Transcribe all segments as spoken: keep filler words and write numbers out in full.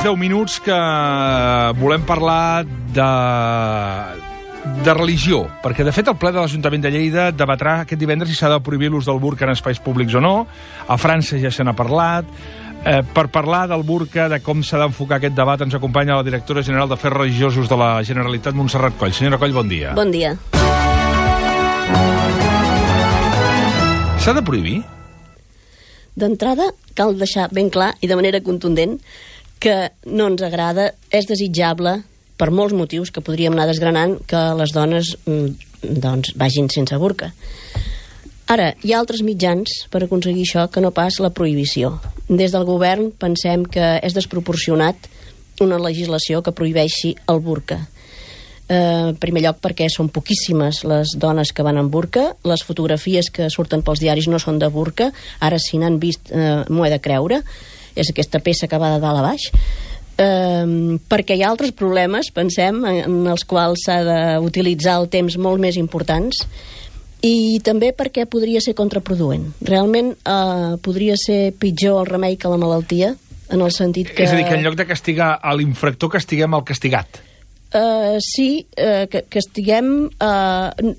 deu minuts que volem parlar de, de religió, perquè de fet el ple de l'Ajuntament de Lleida debatrà aquest divendres si s'ha de prohibir l'ús del burca en espais públics o no. A França ja se n'ha parlat. Eh, per parlar del burca, de com s'ha d'enfocar aquest debat, ens acompanya la directora general d'Afers Religiosos de la Generalitat, Montserrat Coll. Senyora Coll, bon dia. Bon dia. S'ha de prohibir? D'entrada, cal deixar ben clar i de manera contundent que no ens agrada, és desitjable, per molts motius que podríem anar desgranant, que les dones doncs, vagin sense burca. Ara, hi ha altres mitjans per aconseguir això que no pas la prohibició. Des del govern pensem que és desproporcionat una legislació que prohibeixi el burca. Eh, en primer lloc perquè són poquíssimes les dones que van amb burca, les fotografies que surten pels diaris no són de burca, ara si n'han vist eh, m'ho he de creure, és aquesta peça que va de dalt a baix, eh, perquè hi ha altres problemes, pensem, en els quals s'ha d'utilitzar el temps molt més importants, i també perquè podria ser contraproduent. Realment eh, podria ser pitjor el remei que la malaltia, en el sentit que... És a dir, que en lloc de castigar a l'infractor, castiguem al castigat. Uh, sí, uh, que, que estiguem... Uh,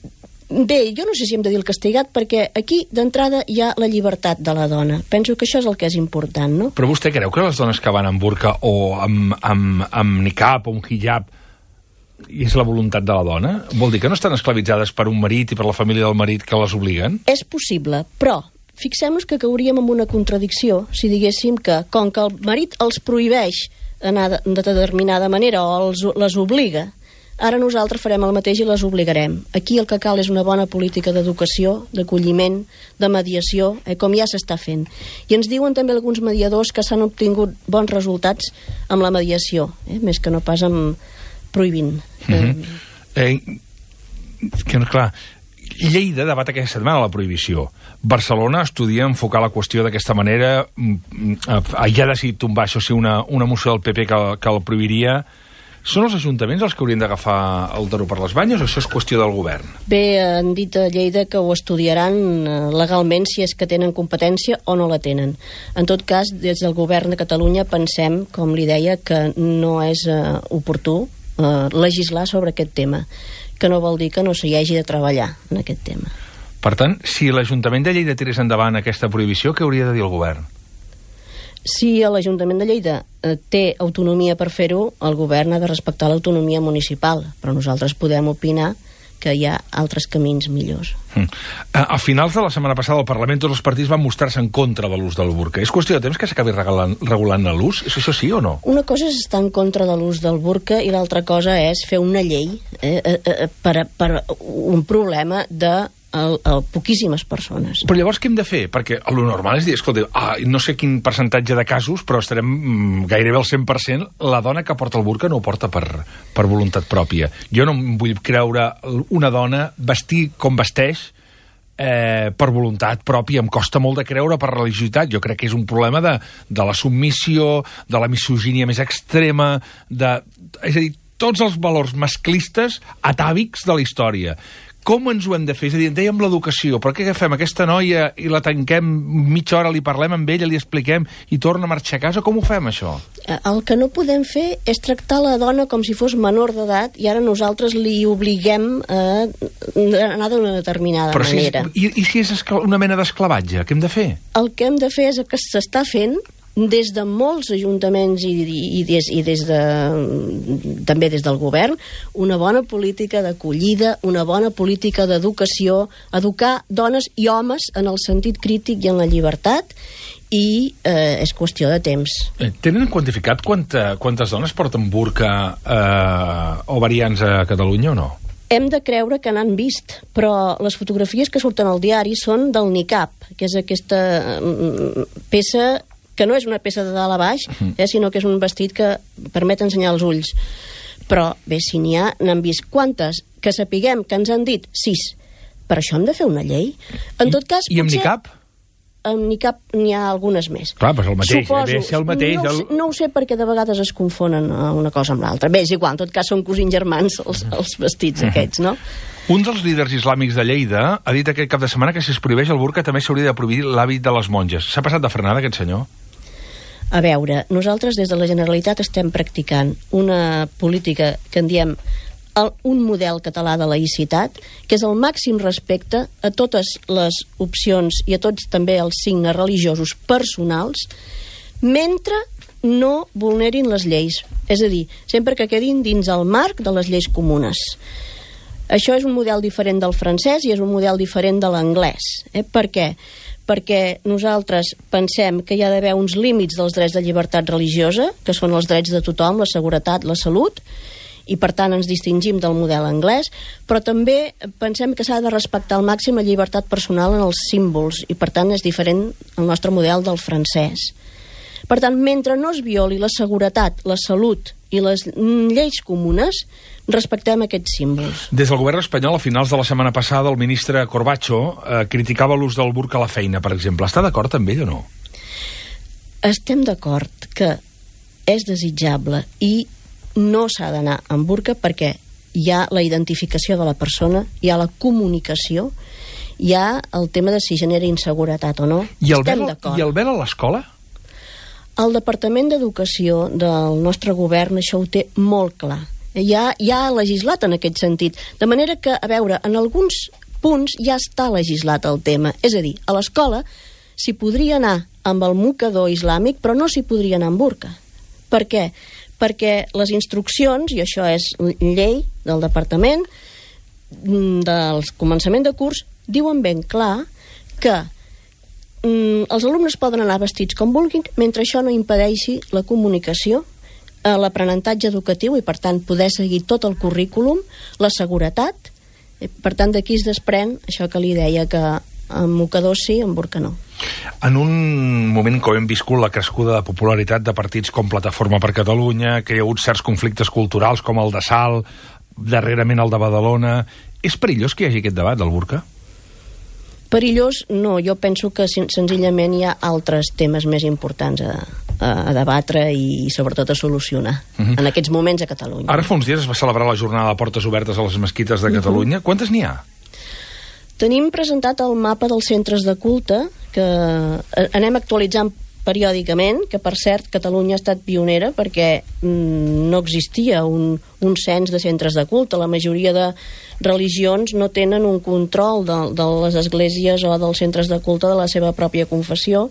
bé, jo no sé si hem de dir el castigat, perquè aquí, d'entrada, hi ha la llibertat de la dona. Penso que això és el que és important, no? Però vostè creu que les dones que van amb burca o amb, amb, amb niqab o un hijab i és la voluntat de la dona? Vol dir que no estan esclavitzades per un marit i per la família del marit que les obliguen? És possible, però fixem-nos que cauríem en una contradicció si diguéssim que, com que el marit els prohibeix anar de, de determinada manera o els, les obliga, ara nosaltres farem el mateix i les obligarem. Aquí el que cal és una bona política d'educació, d'acolliment, de mediació, eh, com ja s'està fent. I ens diuen també alguns mediadors que s'han obtingut bons resultats amb la mediació, eh, més que no pas amb prohibint. Mm-hmm. eh, que, clar, Lleida debat aquesta setmana la prohibició. Barcelona estudia enfocar la qüestió d'aquesta manera. Ja ha decidit tombar, això sí, una, una moció del P P que, que el prohibiria. Són els ajuntaments els que haurien d'agafar el toro per les banyes o això és qüestió del govern? Bé, han dit a Lleida que ho estudiaran legalment si és que tenen competència o no la tenen. En tot cas, des del govern de Catalunya pensem, com li deia, que no és uh, oportú uh, legislar sobre aquest tema, que no vol dir que no s'hi hagi de treballar en aquest tema. Per tant, si l'Ajuntament de Lleida tirés endavant aquesta prohibició, què hauria de dir el govern? Si l'Ajuntament de Lleida eh, té autonomia per fer-ho, el govern ha de respectar l'autonomia municipal, però nosaltres podem opinar que hi ha altres camins millors. Mm. A finals de la setmana passada al Parlament tots els partits van mostrar-se en contra de l'ús del burca. És qüestió de temps que s'acabi regulant, regulant l'ús? És això sí o no? Una cosa és estar en contra de l'ús del burca i l'altra cosa és fer una llei eh, eh, eh, per, per un problema de A, a poquíssimes persones. Però llavors què hem de fer? Perquè el normal és dir, escolta, ah, no sé quin percentatge de casos, però estarem mm, gairebé al cent per cent, la dona que porta el burca no ho porta per, per voluntat pròpia. Jo no em vull creure una dona vestir com vesteix eh, per voluntat pròpia. Em costa molt de creure per religiositat. Jo crec que és un problema de, de la submissió, de la misogínia més extrema, de, és a dir, tots els valors masclistes atàvics de la història. Com ens ho hem de fer? És a dir, en dèiem l'educació, però què agafem aquesta noia i la tanquem mitja hora, li parlem amb ella, li expliquem i torna a marxar a casa? Com ho fem, això? El que no podem fer és tractar la dona com si fos menor d'edat i ara nosaltres li obliguem a anar d'una determinada però manera. Si és, i, I si és una mena d'esclavatge? Què hem de fer? El que hem de fer és el que s'està fent des de molts ajuntaments i, i, i, des, i des de, també des del govern, una bona política d'acollida, una bona política d'educació, educar dones i homes en el sentit crític i en la llibertat, i eh, és qüestió de temps. Tenen quantificat quanta, quantes dones porten burca eh, o variants a Catalunya o no? Hem de creure que n'han vist, però les fotografies que surten al diari són del niqab, que és aquesta peça que no és una peça de dalt a baix, eh, sinó que és un vestit que permet ensenyar els ulls. Però, bé, si n'hi ha, n'han vist quantes, que sapiguem que ens han dit sis. Per això hem de fer una llei. En tot cas, I amb potser, niqab? Amb niqab n'hi ha algunes més. Clar, però és el mateix. Suposo, eh? el mateix no, el... Sé, no ho sé perquè de vegades es confonen una cosa amb l'altra. Bé, és igual, en tot cas són cosins germans els, els vestits aquests, no? Un dels líders islàmics de Lleida ha dit aquest cap de setmana que si es prohibeix el burca també s'hauria de prohibir l'hàbit de les monges. S'ha passat de frenada, aquest senyor? A veure, nosaltres des de la Generalitat estem practicant una política que en diem el, un model català de laïcitat, que és el màxim respecte a totes les opcions i a tots també els signes religiosos personals, mentre no vulnerin les lleis. És a dir, sempre que quedin dins el marc de les lleis comunes. Això és un model diferent del francès i és un model diferent de l'anglès. Eh? Per què? Perquè nosaltres pensem que hi ha d'haver uns límits dels drets de llibertat religiosa, que són els drets de tothom, la seguretat, la salut, i per tant ens distingim del model anglès, però també pensem que s'ha de respectar al màxim la llibertat personal en els símbols, i per tant és diferent el nostre model del francès. Per tant, mentre no es violi la seguretat, la salut i les lleis comunes, respectem aquests símbols. Des del govern espanyol, a finals de la setmana passada, el ministre Corbacho eh, criticava l'ús del burca a la feina, per exemple. Està d'acord amb ell o no? Estem d'acord que és desitjable i no s'ha d'anar amb burca perquè hi ha la identificació de la persona, hi ha la comunicació, hi ha el tema de si genera inseguretat o no. I el Estem vel, d'acord. I el vel a l'escola? El Departament d'Educació del nostre govern això ho té molt clar. Ja, ja ha legislat en aquest sentit. De manera que, a veure, en alguns punts ja està legislat el tema. És a dir, a l'escola s'hi podria anar amb el mocador islàmic, però no s'hi podria anar amb burca. Per què? Perquè les instruccions, i això és llei del departament, del començament de curs, diuen ben clar que els alumnes poden anar vestits com vulguin mentre això no impedeixi la comunicació, l'aprenentatge educatiu i per tant poder seguir tot el currículum, la seguretat. Per tant d'aquí es desprèn això que li deia, que amb mocador sí, amb burca no. En un moment com hem viscut la crescuda de popularitat de partits com Plataforma per Catalunya, que hi ha hagut certs conflictes culturals com el de Salt, darrerament el de Badalona, és perillós que hi hagi aquest debat del burca? Perillós, no. Jo penso que senzillament hi ha altres temes més importants a, a, a debatre i sobretot a solucionar uh-huh. en aquests moments a Catalunya. Ara fa uns dies es va celebrar la jornada de portes obertes a les mesquites de Catalunya. Uh-huh. Quantes n'hi ha? Tenim presentat el mapa dels centres de culte, que anem actualitzant periòdicament, que per cert Catalunya ha estat pionera perquè mm, no existia un, un cens de centres de culte. La majoria de religions no tenen un control de, de les esglésies o dels centres de culte de la seva pròpia confessió,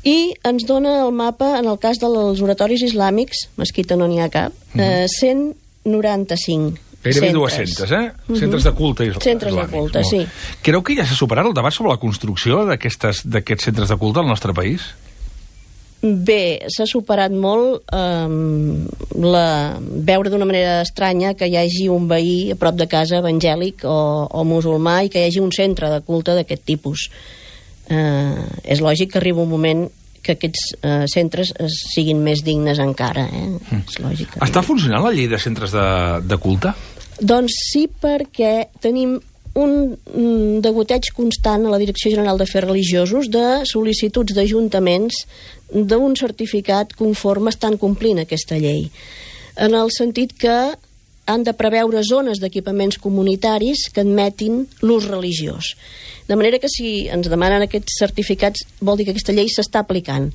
i ens dona el mapa, en el cas dels oratoris islàmics, mesquita no n'hi ha cap, mm-hmm. eh, cent noranta-cinc gairebé dues-centes, eh? Uh-huh. Centres de culte islàmics. Centres de culte, sí. Creu que ja s'ha superat el debat sobre la construcció d'aquests centres de culte al nostre país? Bé, s'ha superat molt eh, la, veure d'una manera estranya que hi hagi un veí a prop de casa evangèlic o, o musulmà i que hi hagi un centre de culte d'aquest tipus. Eh, és lògic que arriba un moment que aquests eh, centres siguin més dignes encara. Eh? Mm. És lògic. Està funcionant la llei de centres de, de culte? Doncs sí, perquè tenim un mm, degoteig constant a la Direcció General d'Afers Religiosos de sol·licituds d'ajuntaments d'un certificat conforme estan complint aquesta llei. En el sentit que han de preveure zones d'equipaments comunitaris que admetin l'ús religiós. De manera que si ens demanen aquests certificats vol dir que aquesta llei s'està aplicant.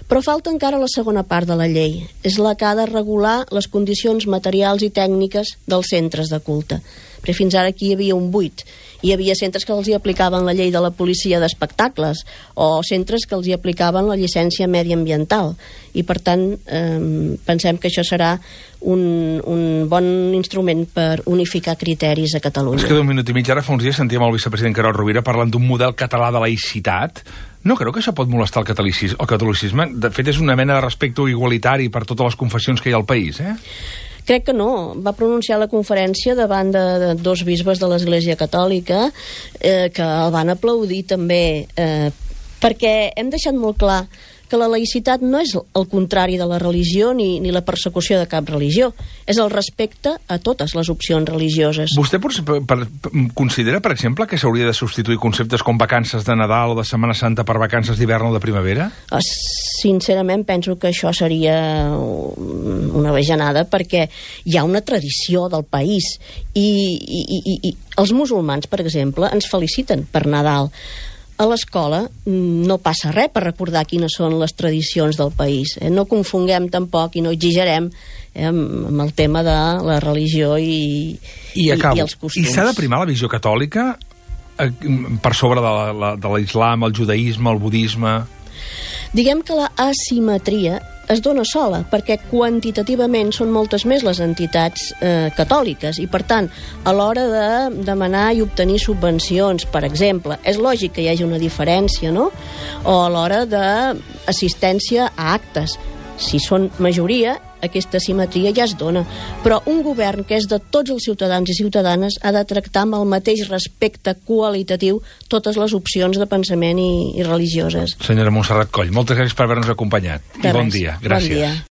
Però falta encara la segona part de la llei. És la que ha de regular les condicions materials i tècniques dels centres de culte. Perquè fins ara aquí hi havia un buit. Hi havia centres que els hi aplicaven la llei de la policia d'espectacles o centres que els hi aplicaven la llicència mediambiental. I per tant eh, pensem que això serà un, un bon instrument per unificar criteris a Catalunya. Es queda un minut i mig. Ara fa uns dies sentíem el vicepresident Carod Rovira parlant d'un model català de laïcitat. No creu que això pot molestar el catolicisme? El catolicisme, de fet, és una mena de respecte igualitari per totes les confessions que hi ha al país, eh? Crec que no. Va pronunciar la conferència davant de, de dos bisbes de l'Església Catòlica eh, que el van aplaudir també, eh, perquè hem deixat molt clar que la laïcitat no és el contrari de la religió ni, ni la persecució de cap religió. És el respecte a totes les opcions religioses. Vostè per, per, considera, per exemple, que s'hauria de substituir conceptes com vacances de Nadal o de Setmana Santa per vacances d'hivern o de primavera? Sincerament penso que això seria una bajanada, perquè hi ha una tradició del país i, i, i, i els musulmans, per exemple, ens feliciten per Nadal. a l'escola no passa res per recordar quines són les tradicions del país. Eh? No confonguem tampoc i no exagerem eh, amb, amb el tema de la religió i, I, acabo. i, i els costums. I s'ha de primar la visió catòlica eh, per sobre de, la, la, de l'islam, el judaïsme, el budisme? Diguem que la asimetria es dona sola, perquè quantitativament són moltes més les entitats eh, catòliques i, per tant, a l'hora de demanar i obtenir subvencions, per exemple, és lògic que hi hagi una diferència, no? O a l'hora d'assistència a actes. Si són majoria, aquesta simetria ja es dona. Però un govern que és de tots els ciutadans i ciutadanes ha de tractar amb el mateix respecte qualitatiu totes les opcions de pensament i, i religioses. Senyora Montserrat Coll, moltes gràcies per haver-nos acompanyat. De I bon res. dia. Gràcies. Bon dia.